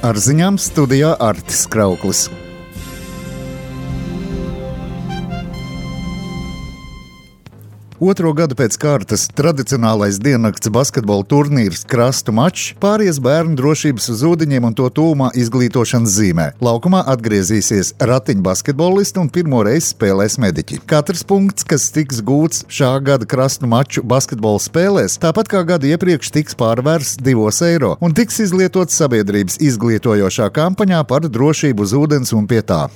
Ar ziņām studijā Artis Krauklis. Otro gadu pēc kārtas tradicionālais diennakts basketbola turnīrs Krastu mačs pāries bērnu drošības uz ūdeņiem un to tūmā izglītošanas zīmē. Laukumā atgriezīsies ratiņu basketbolisti un pirmo reizi spēlēs mediķi. Katrs punkts, kas tiks gūts šā gada Krastu maču basketbola spēlēs, tāpat kā gadu iepriekš tiks pārvērsts 2 eiro un tiks izlietots sabiedrības izglītojošā kampaņā par drošību uz ūdens un pie tā.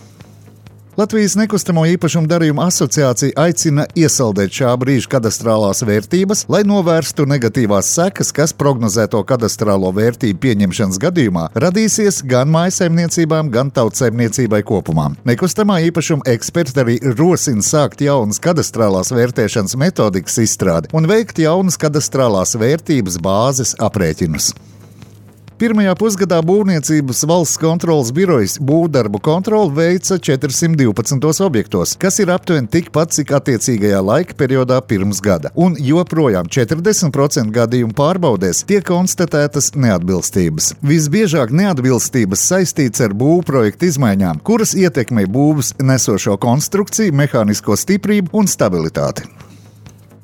Latvijas nekustamo īpašumu darījumu asociācija aicina iesaldēt šā brīža kadastrālās vērtības, lai novērstu negatīvās sekas, kas prognozēto kadastrālo vērtību pieņemšanas gadījumā radīsies gan mājsaimniecībām, gan tautsaimniecībai kopumā. Nekustamā īpašuma eksperti arī rosina sākt jaunas kadastrālās vērtēšanas metodikas izstrādi un veikt jaunas kadastrālās vērtības bāzes aprēķinus. Pirmajā pusgadā Būvniecības valsts kontroles birojas būvdarbu kontroli veica 412 objektos, kas ir aptuveni tikpat, cik attiecīgajā laika periodā pirms gada. Un joprojām 40% gadījumu pārbaudēs tiek konstatētas neatbilstības. Visbiežāk neatbilstības saistīts ar būvprojektu izmaiņām, kuras ietekmē būvs nesošo konstrukciju, mehānisko stiprību un stabilitāti.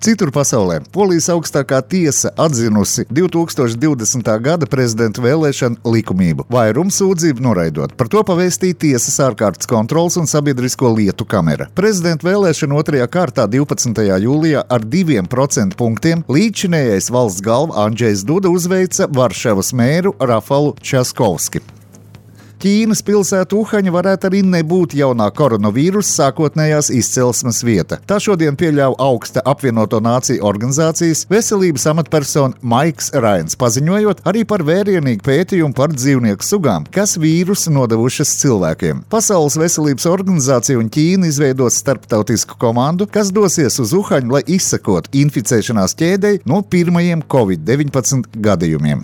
Citur pasaulē Polijas augstākā tiesa atzinusi 2020. gada prezidenta vēlēšanu likumību, vairumu sūdzību noraidot. Par to pavēstīja tiesas ārkārtas kontroles un sabiedrisko lietu kamera. Prezidenta vēlēšana otrajā kārtā 12. jūlijā ar 2% punktiem līdzinējais valsts galva Andžejs Duda uzveica Varšavas mēru Rafalu Časkovski. Ķīnas pilsēta Uhaņa varētu arī nebūt jaunā koronavīrusa sākotnējās izcelsmes vieta. Tā šodien pieļauj augsta apvienoto nāciju organizācijas veselības amatpersona Maiks Rains, paziņojot arī par vērienīgu pētījumu par dzīvnieku sugām, kas vīrusu nodevušas cilvēkiem. Pasaules veselības organizācija un Ķīna izveidos starptautisku komandu, kas dosies uz Uhaņu, lai izsekotu inficēšanās ķēdei no pirmajiem COVID-19 gadījumiem.